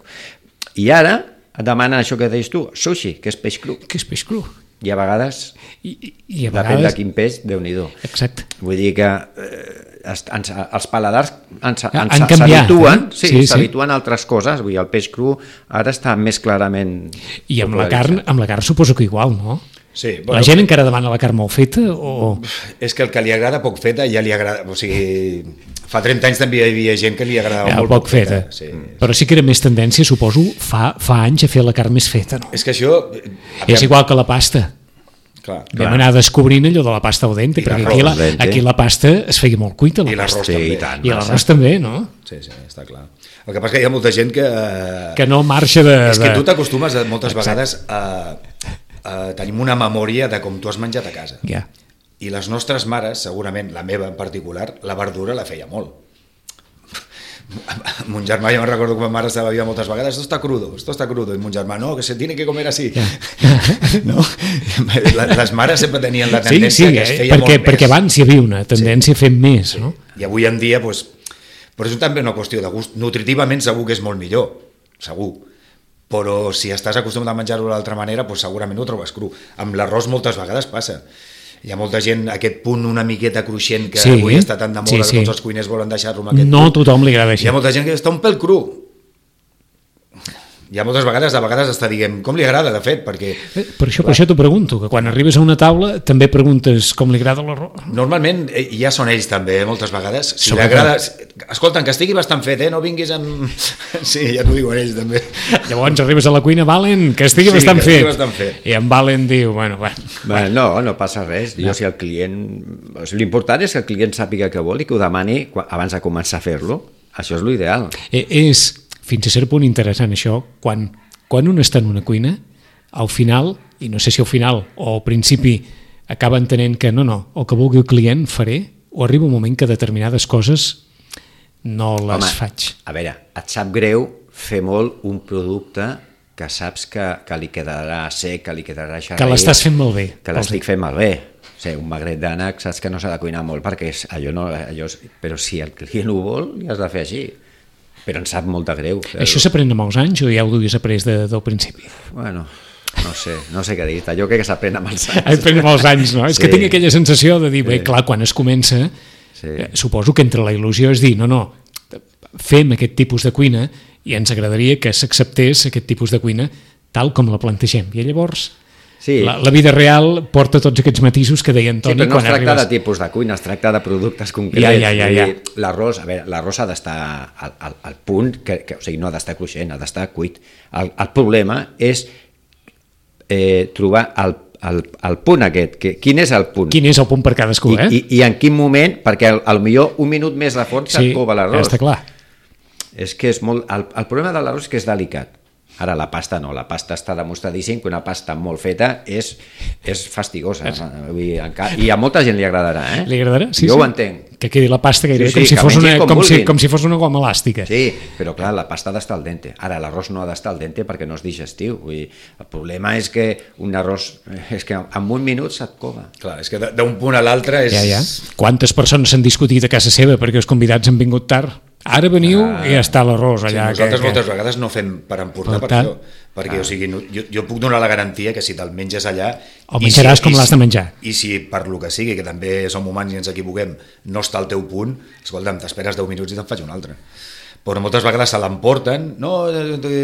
I ara demanen això que deies tu, sushi, que és peix cru. Que és peix cru. I a vegades, I, i a depèn vegades... de quin peix, Déu-n'hi-do. Exacte. Vull dir que eh, ens, els paladars ens, ens, han canviat, s'habituen, eh? sí, sí, s'habituen sí. a altres coses. Vull dir, el peix cru ara està més clarament... I amb la carn, amb la carn suposo que igual, no? Sí, bueno, la gent encara demana la carn molt feta o... És que el que li agrada poc feta ja li agrada... O sigui, fa trenta anys també hi havia gent que li agradava ja, molt poc feta. feta. Sí. Però sí que era més tendència, suposo, fa, fa anys a fer la carn més feta, no? És que això... És igual que la pasta. Clar, Vam clar. anar descobrint allò de la pasta al dente, I perquè aquí la, aquí la pasta es feia molt cuita, la I l'arròs pasta. també. I tant, I l'arròs també, no? Sí, sí, està clar. El que passa que hi ha molta gent que... Que no marxa de... És que de... tu t'acostumes moltes Exacte. vegades a... Uh, tenim una memòria de com tu has menjat a casa. Ja. I les nostres mares, segurament, la meva en particular, la verdura la feia molt. Mon germà, jo me'n recordo que ma mare estava viva moltes vegades, esto está crudo, esto está crudo, i mon germà, no, que se tiene que comer así. Ja. No? Les mares sempre tenien la tendència sí, sí, que es eh? feia perquè, molt perquè més. abans hi havia una tendència sí. a fer més, no? I avui en dia, doncs, però és també una qüestió de gust. Nutritivament segur que és molt millor, segur. Però si estàs acostumat a menjar-ho d'altra manera, doncs segurament ho trobes cru. Amb l'arròs moltes vegades passa. Hi ha molta gent, aquest punt una miqueta cruixent que sí, avui està tan de moda, sí, sí. que tots els cuiners volen deixar-lo amb aquest no punt. No tothom li agrada així. Hi ha molta gent que està un pèl cru. Hi ha moltes vegades, de vegades està diguem, com li agrada, de fet, perquè... Eh, per això, per això t'ho pregunto, que quan arribes a una taula també preguntes com li agrada l'arròs. Normalment eh, ja són ells també, eh, moltes vegades. Si Sobre li agrada... Escolta, que estigui bastant fet, eh? No vinguis amb... Sí, ja t'ho diuen ells també. Llavors arribes a la cuina, Valen, que estigui, Sí, bastant, que estigui fet. bastant fet. I en Valen diu, bueno, bueno. Bueno, no, no passa res. Jo, si el client... L'important és que el client sàpiga què vol i que ho demani abans de començar a fer-lo. Això és l'ideal. Eh, és, fins a cert punt interessant això, quan... Quan un està en una cuina, al final, i no sé si al final o al principi, acaba entenent que no, no, el que vulgui el client faré, o arriba un moment que determinades coses no les Home, faig. A veure, et sap greu fer molt un producte que saps que, que li quedarà sec, que li quedarà xerraït. Que l'estàs fent malbé. Que l'estic fent malbé. O sigui, un magret d'ànec saps que no s'ha de cuinar molt perquè és, allò no... Allò és, però si el client ho vol, li has de fer així. Però em sap molt de greu. Però... Això s'aprèn amb els anys o ja ho duies après de, del principi? Bueno, no sé, no sé què dir. Jo crec que s'aprèn amb els anys. S'aprèn amb els anys, no? És Sí. que tinc aquella sensació de dir, Sí. bé, clar, quan es comença, Sí. eh, suposo que entre la il·lusió és dir, no, no, fem aquest tipus de cuina i ens agradaria que s'acceptés aquest tipus de cuina tal com la plantegem. I llavors... Sí. La, la vida real porta tots aquests matisos que deia Antoni Sí, però no quan es tracta arribes... de tipus de cuina, es tracta de productes concrets. Ja, ja, ja, ja. L'arròs, a veure, l'arròs ha d'estar al, al, al punt, que, que, o sigui, no ha d'estar cruixent, ha d'estar cuit. El, el problema és eh, trobar el, el, el punt aquest, que, quin és el punt? Quin és el punt per cadascú, I, eh? i, I en quin moment, perquè al, al millor un minut més de forn se't cova l'arròs. està clar. És que és molt... El, el problema de l'arròs és que és delicat. Ara la pasta no, la pasta està demostradíssim que una pasta molt feta és, és fastigosa. Vull dir, encara, i a molta gent li agradarà, eh? Li agradarà? Sí, jo sí. ho entenc. Que quedi la pasta gairebé Sí, sí, com, si que fos una, mengin com com, si, vulguin. com si fos una goma elàstica. Sí, però clar, la pasta ha d'estar al dente. Ara, l'arròs no ha d'estar al dente perquè no és digestiu. Vull dir, el problema és que un arròs, és que en un minut se't cova. Clar, és que d'un punt a l'altre és... Ja, ja. Quantes persones s'han discutit a casa seva perquè els convidats han vingut tard? Ara veniu ah, i ja està l'arròs allà. Sí, nosaltres que, moltes que... vegades no fem per emportar per, per això, perquè ah. o sigui, no, jo, jo puc donar la garantia que si te'l menges allà... El menjaràs si, com l'has de menjar. I si per lo que sigui, que també som humans i ens equivoquem, no està al teu punt, escolta'm, t'esperes deu minuts i te'n faig un altre. Però moltes vegades se l'emporten, no,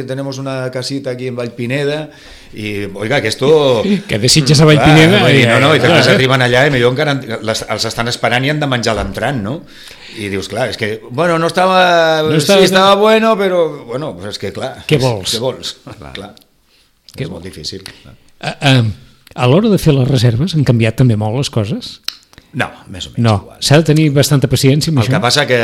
tenemos una casita aquí en Vallpineda i, oiga, que esto... Que desitges a Vallpineda... Clar, i, no, no, i després eh? arriben allà i millor encara les, els estan esperant i han de menjar l'entrant, no? I dius, clar, és que, bueno, no estava... No estava sí, estava bueno, però... Bueno, pues és que, clar... Què vols? Què vols? Clar. clar. Què és molt difícil. Clar. A, a, a l'hora de fer les reserves han canviat també molt les coses? No, més o menys no. igual. S'ha de tenir bastanta paciència amb El això? que passa que,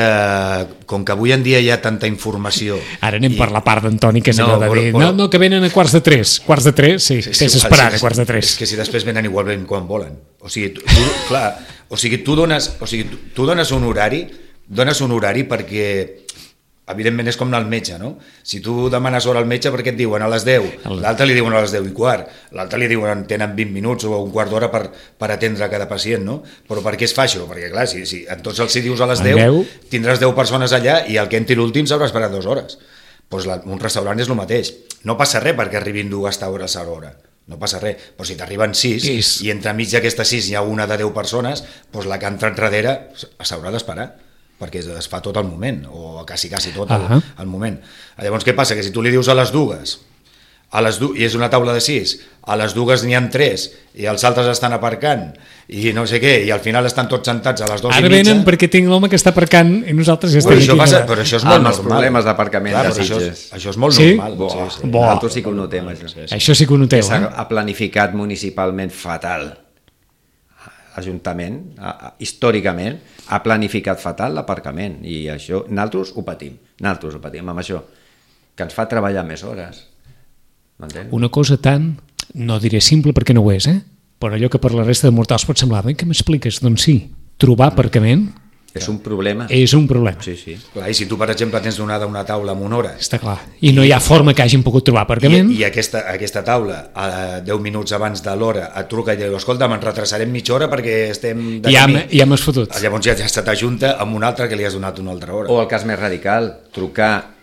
com que avui en dia hi ha tanta informació... Ara anem i... per la part d'Antoni, que és No, allò de dir, però- no, no, que venen a quarts de tres. Quarts de tres, sí, sí, tens esperar a quarts de tres. És que si després venen igualment quan volen. O sigui, tu, tu, clar, o sigui, tu dones, o sigui, tu, tu dones un horari, dones un horari perquè, evidentment és com anar al metge, no? Si tu demanes hora al metge perquè et diuen a les deu, l'altre li diuen a les deu i quart, l'altre li diuen tenen vint minuts o un quart d'hora per, per atendre cada pacient, no? Però per què es fa això? Perquè clar, si, si en tots els si dius a les deu, tindràs deu persones allà i el que entri l'últim s'haurà esperat dues hores. Pues la, un restaurant és el mateix. No passa res perquè arribin dues taures a l'hora. No passa res, però si t'arriben sis és... i entremig d'aquestes sis hi ha una de deu persones, doncs la que entra enrere s'haurà d'esperar, perquè es fa tot al moment, o quasi, quasi tot al, uh-huh. al moment. Llavors, què passa? Que si tu li dius a les dues, a les du i és una taula de sis, a les dues n'hi ha tres, i els altres estan aparcant, i no sé què, i al final estan tots sentats a les dues Ara i mitja... venen perquè tinc l'home que està aparcant i nosaltres ja estem Però això, aquí. passa, però això és molt Ah, normal. els problemes d'aparcament Clar, de però això, Sitges. és, això és molt Sí? normal. Bo, Sí, sí. Bo. Nosaltres sí que ho notem, això. Sí, sí. Això sí que ho noteu, S'ha eh? ha planificat municipalment fatal. L'Ajuntament, històricament, ha planificat fatal l'aparcament i això, nosaltres ho patim, nosaltres ho patim amb això, que ens fa treballar més hores. M'entens? Una cosa tan, no diré simple perquè no ho és, eh? Però allò que per la resta de mortals pot semblar, bé, què m'expliques? Doncs sí, trobar aparcament És un problema. és un problema. Sí, sí. Clar, i si tu, per exemple, tens donada una taula amb una hora Està clar. I no hi ha forma que hagin pogut trobar aparcament. i, i aquesta, aquesta taula a deu minuts abans de l'hora et truca i diu, escolta, me'n retrasarem mitja hora perquè estem de ja, camí. ja m'has fotut. Llavors ja, ja se t'ajunta amb un altre que li has donat una altra hora. O el cas més radical, trucar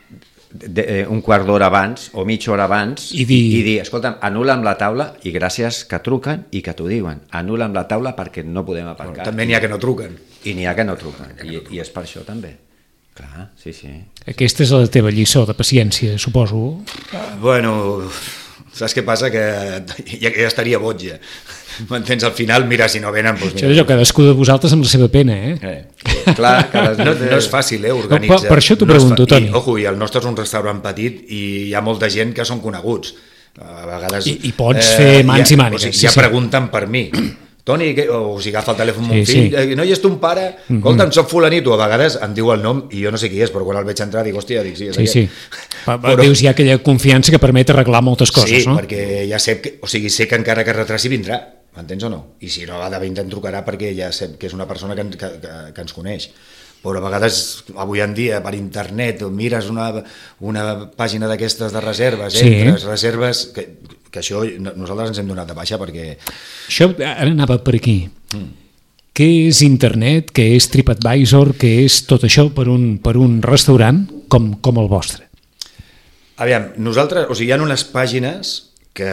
de, eh, un quart d'hora abans o mitja hora abans I dir- i dir escolta'm, anul·la'm la taula i gràcies que truquen i que t'ho diuen, anul·la'm la taula perquè no podem aparcar. També n'hi ha que no truquen. I n'hi ha que no truquen, I, i és per això també. Clar, sí, sí. Aquesta és la teva lliçó de paciència, suposo. Bueno, saps què passa? Que ja, ja estaria boig ja. M'entens? Al final, mira, si no venen... Doncs Això mira. és allò, cadascú de vosaltres amb la seva pena, eh? Eh. Clar, cada... No, no és fàcil, eh, organitzar. No, per- per això t'ho no és pregunto, fa- Toni. I, ojo, i el nostre és un restaurant petit i hi ha molta gent que són coneguts. A vegades... I- i pots fer mans ja, i mànigues, O sigui, sí, ja sí. pregunten per mi. Toni, que, o si agafa el telèfon mon Sí, fill, sí. eh, no hi és ton pare? Mhm. Escolta'm, soc fulanito. A vegades em diu el nom i jo no sé qui és, però quan el veig entrar dic, hòstia, dic, sí, és Sí, sí. aquest. Pa- pa- Dius, hi ha aquella confiança que permet arreglar moltes coses, sí, no? perquè ja sé que, o sigui, sé que encara que retraci vindrà, m'entens o no? I si no, de vint em trucarà perquè ja sé que és una persona que, en- que, que, que ens coneix. Però a vegades, avui en dia, per internet, mires una, una pàgina d'aquestes de reserves, Sí. entres, reserves, que, que això no- nosaltres ens hem donat de baixa perquè... Això ara anava per aquí. Mm. Què és internet, què és TripAdvisor, què és tot això per un, per un restaurant com, com el vostre? Aviam, nosaltres, o sigui, hi ha unes pàgines que,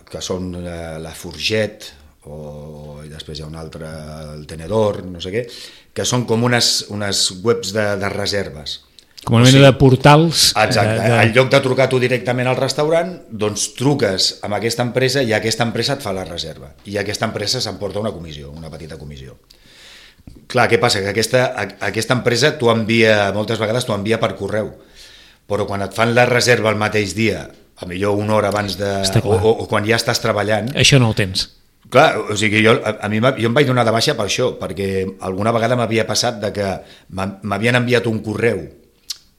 que són eh, la Forget, o i després hi ha una altra, el Tenedor, no sé què, que són com unes, unes webs de, de reserves. Com una O mena sigui, de portals... Exacte, eh, de... en lloc de trucar tu directament al restaurant, doncs truques amb aquesta empresa i aquesta empresa et fa la reserva. I aquesta empresa s'emporta una comissió, una petita comissió. Clar, què passa? Que aquesta, aquesta empresa t'ho envia, moltes vegades t'ho envia per correu, però quan et fan la reserva el mateix dia, a millor una hora abans de... Està O, clar. o, o quan ja estàs treballant... Això no ho tens. Clar, o sigui, jo, a, a mi m'ha- jo em vaig donar de baixa per això, perquè alguna vegada m'havia passat de que m'ha- m'havien enviat un correu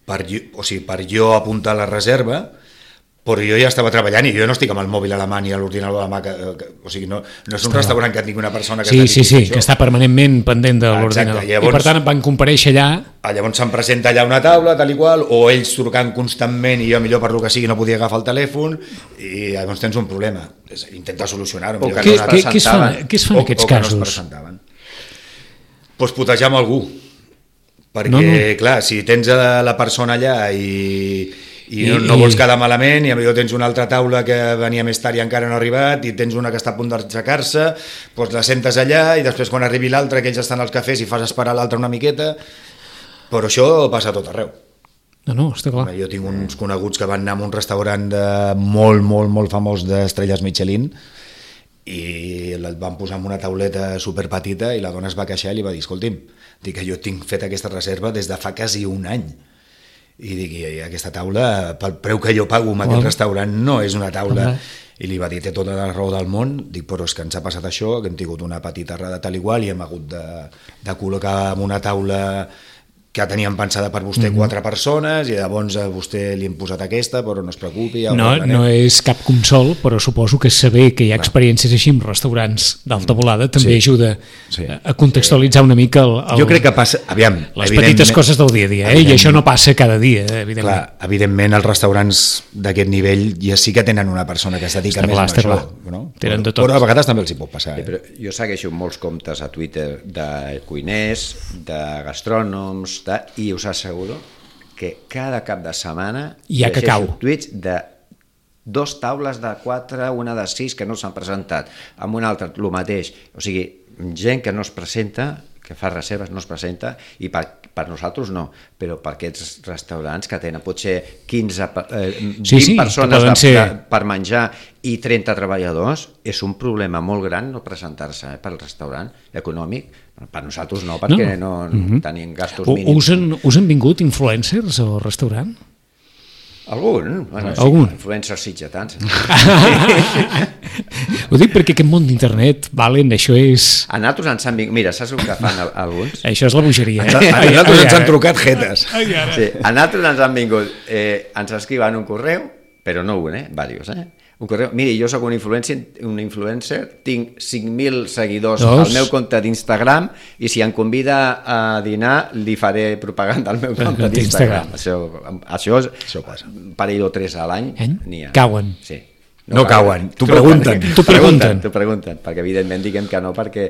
per, jo- o sigui, per jo apuntar la reserva, però jo ja estava treballant i jo no estic amb el mòbil a la mà ni a l'ordinador a la mà, que, que, o sigui, no, no és un restaurant que tingui una persona que sí, es sí, sí, això. que està permanentment pendent de Ah, l'ordinador. exacte, llavors- I per tant van comparèixer allà. Ah, llavors se'm presenta allà una taula, tal i qual, o ells trucant constantment i jo millor per lo que sigui no podia agafar el telèfon i llavors tens un problema. És intentar solucionar-ho. O millor que que no no Què, es què, què, es fan, presentaven. què es fan en aquests o que no es casos? presentaven. Pues putejar amb algú, perquè, No, no. clar, si tens a la persona allà i, i no, I- no vols i- quedar malament, i potser tens una altra taula que venia més tard i encara no ha arribat, i tens una que està a punt d'aixecar-se, doncs la sentes allà, i després quan arribi l'altra, que ells estan als cafès i fas esperar l'altra una miqueta, però això passa a tot arreu. No, no, està clar. Jo tinc uns coneguts que van anar a un restaurant de molt, molt, molt famós d'estrelles Michelin, i el van posar en una tauleta superpetita i la dona es va queixar i li va dir, escolti'm, dic que jo tinc fet aquesta reserva des de fa quasi un any i dic, i aquesta taula pel preu que jo pago en aquest Clar. restaurant no és una taula. Clar. I li va dir, té tota la raó del món, dic, però és que ens ha passat això, que hem tingut una petita errada tal igual i hem hagut de, de col·locar en una taula que teníem pensada per vostè mm -hmm. quatre persones i llavors a vostè li hem posat aquesta, però no es preocupi. Ja ho No, arreglarem. no és cap consol, però suposo que saber que hi ha experiències així en restaurants d'alta volada també Sí. ajuda Sí. a contextualitzar una mica el, el, Jo crec que passa, aviam, les evidentment- petites coses del dia a dia, eh? I això no passa cada dia, evidentment. Clar, evidentment els restaurants d'aquest nivell ja sí que tenen una persona que es dedica Està més clar, a està això, clar. no? Tenen de però, tot. però a vegades també els hi pot passar. Sí, Eh? però jo segueixo molts comptes a Twitter de cuiners, de gastrònoms, de, i us asseguro que cada cap de setmana Hi ha llegeixo cacau. tuits de dos taules de quatre, una de sis que no s'han presentat, amb una altra el mateix, o sigui, gent que no es presenta, que fa reserves, no es presenta, i per, per nosaltres no, però per aquests restaurants que tenen potser quinze, eh, vint Sí, sí, que persones poden de, ser- de, per menjar i trenta treballadors, és un problema molt gran no presentar-se eh, pel restaurant econòmic. Per nosaltres no, perquè no, no mm -hmm. tenim gastos U- mínims. Us han, us han vingut influencers al restaurant? Algun? Bueno, sí, Algun? influencers sitgetans. Ho dic perquè aquest món d'internet, Valen, això és... A nosaltres ens han vingut... Mira, saps el que fan al- alguns? Això és la bogeria. A Eh? nosaltres ens han trucat jetes. Sí, a nosaltres ens han vingut, eh, ens escriuen un correu, però no un, eh? Diversos, eh? Un correu. Miri, jo sóc un influencer, un influencer, tinc cinc mil seguidors Dos. al meu compte d'Instagram i si em convida a dinar li faré propaganda al meu compte d'Instagram. Això, això, Això passa. un parell o tres a l'any Eh? n'hi ha. Cauen. Sí. No cauen, t'ho Tu pregunten. T'ho pregunten. T'ho pregunten, perquè evidentment diguem que no perquè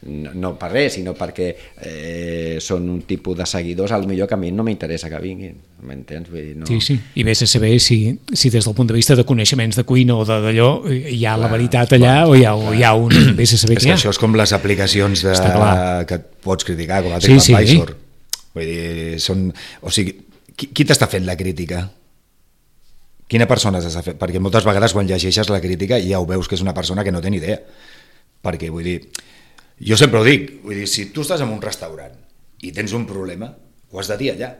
no, no per res, sinó perquè eh, són un tipus de seguidors al millor que a mi no m'interessa que vinguin, m'entens? Vull dir, no... Sí, sí. I vés a saber si, si des del punt de vista de coneixements de cuina o de- d'allò hi ha la veritat allà o hi ha, o hi ha un... Vés a saber És què que hi ha. això és com les aplicacions de, Està clar. que et pots criticar, com el Sí, sí. TripAdvisor. Vull dir, són... O sigui, qui, qui t'està fent la crítica? Quina persona t'està fent? Perquè moltes vegades quan llegeixes la crítica ja ho veus que és una persona que no té ni idea. Perquè, vull dir, jo sempre ho dic, vull dir, si tu estàs en un restaurant i tens un problema, ho has de dir allà.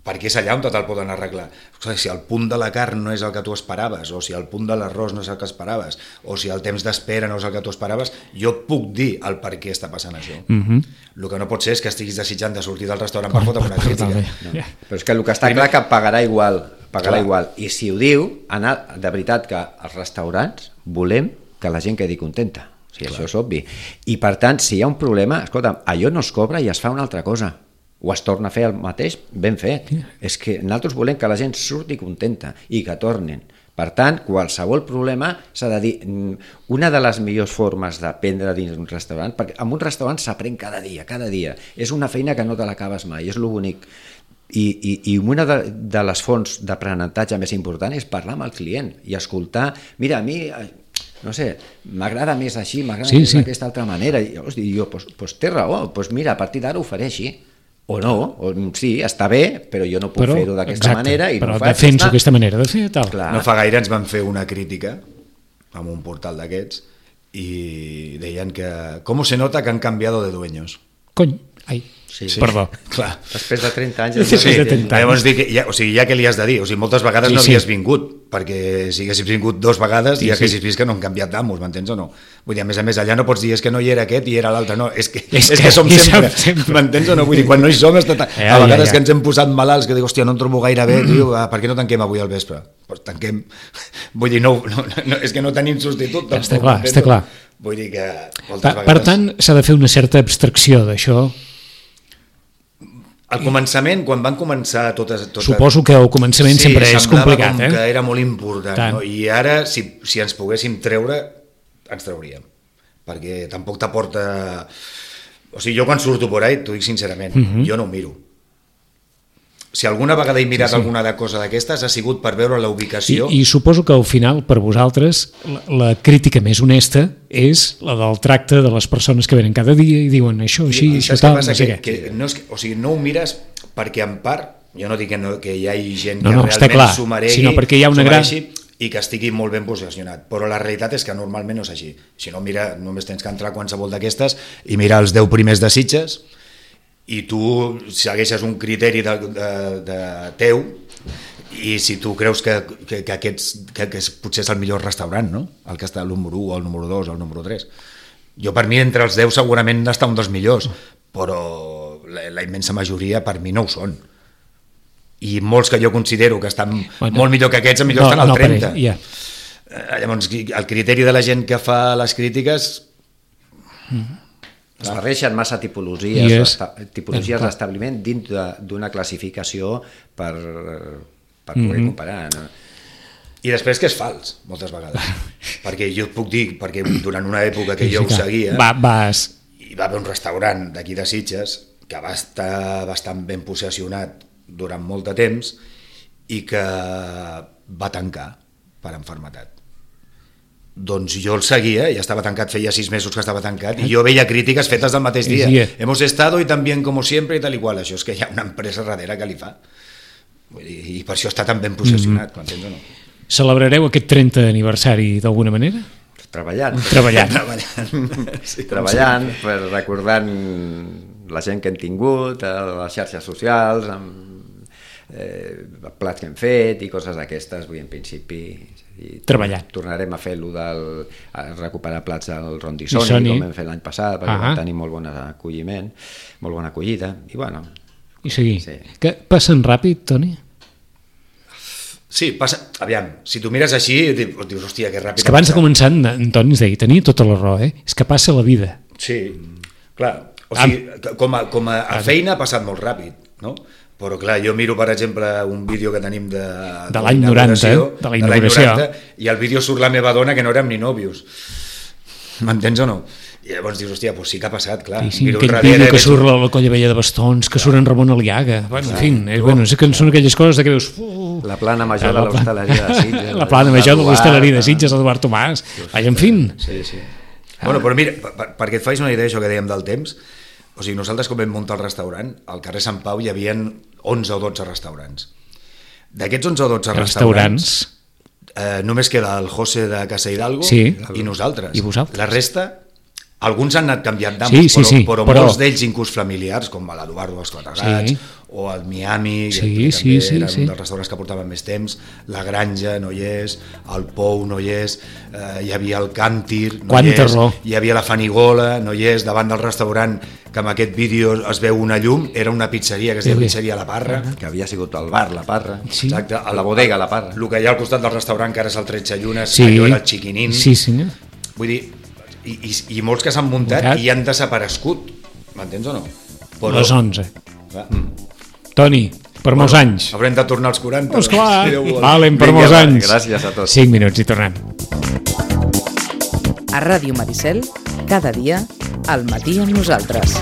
Perquè és allà on te'l poden arreglar. O sigui, si el punt de la carn no és el que tu esperaves, o si el punt de l'arròs no és el que esperaves, o si el temps d'espera no és el que tu esperaves, jo puc dir el per què està passant això. Mm -hmm. El que no pot ser és que estiguis desitjant de sortir del restaurant per fotre una crítica. No. Però és que el que està clar que pagarà igual, pagarà Clar. igual. I si ho diu, anar, de veritat que als restaurants volem que la gent quedi contenta. O sigui, això és obvi. I per tant, si hi ha un problema, escolta, allò no es cobra i es fa una altra cosa. O es torna a fer el mateix, ben fet. Sí. És que nosaltres volem que la gent surti contenta i que tornen. Per tant, qualsevol problema s'ha de dir... Una de les millors formes d'aprendre dins un restaurant, perquè en un restaurant s'aprèn cada dia, cada dia. És una feina que no te l'acabes mai, és lo bonic. I, i, i una de, de les fonts d'aprenentatge més important és parlar amb el client i escoltar, mira, a mi... no sé, m'agrada més així, m'agrada Sí, més sí. d'aquesta altra manera. I llavors dic jo, pues, pues té raó, pues mira, a partir d'ara ho faré així. O no, o, sí, està bé, però jo no puc Però, fer-ho d'aquesta exacte, manera i però no ho faig. defenso està. aquesta manera de fer, tal. Clar. No fa gaire ens van fer una crítica amb un portal d'aquests i deien que com se nota que han canviado de dueños. Cony, Ai, Sí. perdó. Clar. Després de trenta anys... Sí, és sí, una de llei. trenta. Llavors dic, ja, o sigui, ja què li has de dir? O sigui, moltes vegades Sí, no sí. havies vingut, perquè si haguessis vingut dos vegades Sí, ja sí. haguessis vist que no han canviat d'amos, m'entens o no? Vull dir, a més a més, allà no pots dir és que no hi era aquest i era l'altre, no, és que, És és que que som hi sempre, som sempre. m'entens o no? Vull dir, quan no hi som, està tan... Ja, a ja, vegades ja. que ens hem posat malalts, que dic, hòstia, no em trobo gaire bé, tio, ah, per què no tanquem avui al vespre? Pues tanquem, vull dir, no, no, no, és que no tenim substitut, tampoc, Està clar, m'entens està o no? clar. Vull dir que moltes Per, vegades... per tant, s'ha de fer una certa abstracció d'això. Al començament, quan van començar totes... totes... Suposo que al començament sí, sempre és semblava complicat, com eh? que era molt important, Tant. no? I ara, si, si ens poguéssim treure, ens trauríem. Perquè tampoc t'aporta... O sigui, jo quan surto por ahí, t'ho dic sincerament, Mhm. jo no ho miro. Si alguna vegada he mirat Sí, sí. alguna de cosa d'aquestes ha sigut per veure la I, ubicació... I suposo que al final, per vosaltres, la, la crítica més honesta és la del tracte de les persones que venen cada dia i diuen això, així, I això, saps què tal, passa? no sé que, què. que no és, que- o sigui, no ho mires perquè en part, jo no dic que, no, que hi hagi gent No, que no, està realment clar, s'ho meregui, sinó perquè hi ha una s'ho gran- mereixi i que estigui molt ben posicionat, però la realitat és que normalment no és així. Si no, mira, només tens que entrar a qualsevol d'aquestes i mirar els deu primers de Sitges i tu segueixes un criteri de, de, de teu i si tu creus que, que, que, aquests, que, que és, potser és el millor restaurant, no? El que està el número u, el número dos, el número tres. Jo per mi entre els deu segurament està un dels millors, però la, la immensa majoria per mi no ho són. I molts que jo considero que estan Bueno, molt millor que aquests, millor no, estan al no, per trenta. ell, ja. Eh, Llavors, el criteri de la gent que fa les crítiques... Es barreixen massa tipologies, I és- d'esta- tipologies Clar. d'establiment dins de- d'una classificació per, per poder Mhm. comparar. No? I després que és fals, moltes vegades. Perquè jo et puc dir, perquè durant una època que jo ho clar. seguia, Va, vas... hi va haver un restaurant d'aquí de Sitges que va estar bastant ben possessionat durant molt de temps i que va tancar per enfermetat. Doncs jo el seguia, ja estava tancat, feia sis mesos que estava tancat, i jo veia crítiques fetes del mateix dia. Sí, eh. Hemos estado y tan bien como siempre i tal i qual. Això és que hi ha una empresa darrere que li fa. Vull dir, i per això està tan ben possessionat, m'entens o no? Celebrareu aquest trenta aniversari d'alguna manera? Treballant. Treballant. Treballant. Sí, Treballant, per recordant la gent que hem tingut, a les xarxes socials, amb eh, plats que hem fet i coses d'aquestes, vull dir, en principi... I Treballant. Tornarem a fer allò del... a recuperar plats del Rondi Sony, Sony, com vam fer l'any passat, perquè ah. vam tenir molt bon acolliment, molt bona acollida, i bueno... I seguir. Sí. Que passen ràpid, Toni? Sí, passa... Aviam, si tu mires així, dius, dius hòstia, que ràpid... És que abans de començar, en Toni ens deia, tenia tota la raó, eh? És que passa la vida. Sí, clar. O sigui, com a, com a, a feina ha passat molt ràpid, no? Però clar, jo miro, per exemple, un vídeo que tenim de... De l'any noranta, de la inauguració. noranta, i al vídeo surt la meva dona que no érem ni nòvios. M'entens o no? I llavors dius, hòstia, doncs sí que ha passat, clar. I sí, Miro aquell darrere vídeo i que veig- surt la, la colla vella de bastons, que surt en Ramon Aliaga. Bueno, en fi, és, bueno, és que són aquelles coses de que veus... Uh, La plana major la de l'hostaleria de Sitges. La plana major de l'hostaleria de Sitges, Eduard Tomàs. Vaja, en fi. Sí, sí. Bueno, però mira, per, per, perquè et facis una idea això que dèiem del temps, o sigui, nosaltres quan vam muntar el restaurant, al carrer Sant Pau hi havia onze o dotze restaurants. D'aquests onze o dotze restaurants, Restaurants. eh, només queda el José de Casa Hidalgo Sí. i nosaltres. I vosaltres. La resta, alguns han anat canviant d'amos, Sí, sí, però, sí, però, però- molts d'ells inclús familiars, com l'Eduardo dels Quatre Gats, Sí. o el Miami, Sí, que també sí, sí, era sí. un dels restaurants que portaven més temps, la Granja no hi és, el Pou no hi és, eh, hi havia el Càntir, no Quanta hi és, raó. hi havia la Fanigola, no hi és, davant del restaurant, que en aquest vídeo es veu una llum, era una pizzeria que es Sí, deia sí. Pizzeria La Parra. Que havia sigut el bar, la Parra. Sí. Exacte, La bodega, La Parra. El que hi ha al costat del restaurant, que ara és el Tretze Llunes, Sí. allò era el Chiquinín. Sí, senyor. Vull dir, i, i, i molts que s'han muntat Muntat. i han desaparegut, m'entens o no? Però, Les onze. clar, Toni, per molts anys. haurem de tornar als quaranta. Esclar, si Déu vol. valen per Vinga, molts va, anys. gràcies a tots. Cinc minuts i tornem. A Ràdio Maricel, cada dia, al matí amb nosaltres.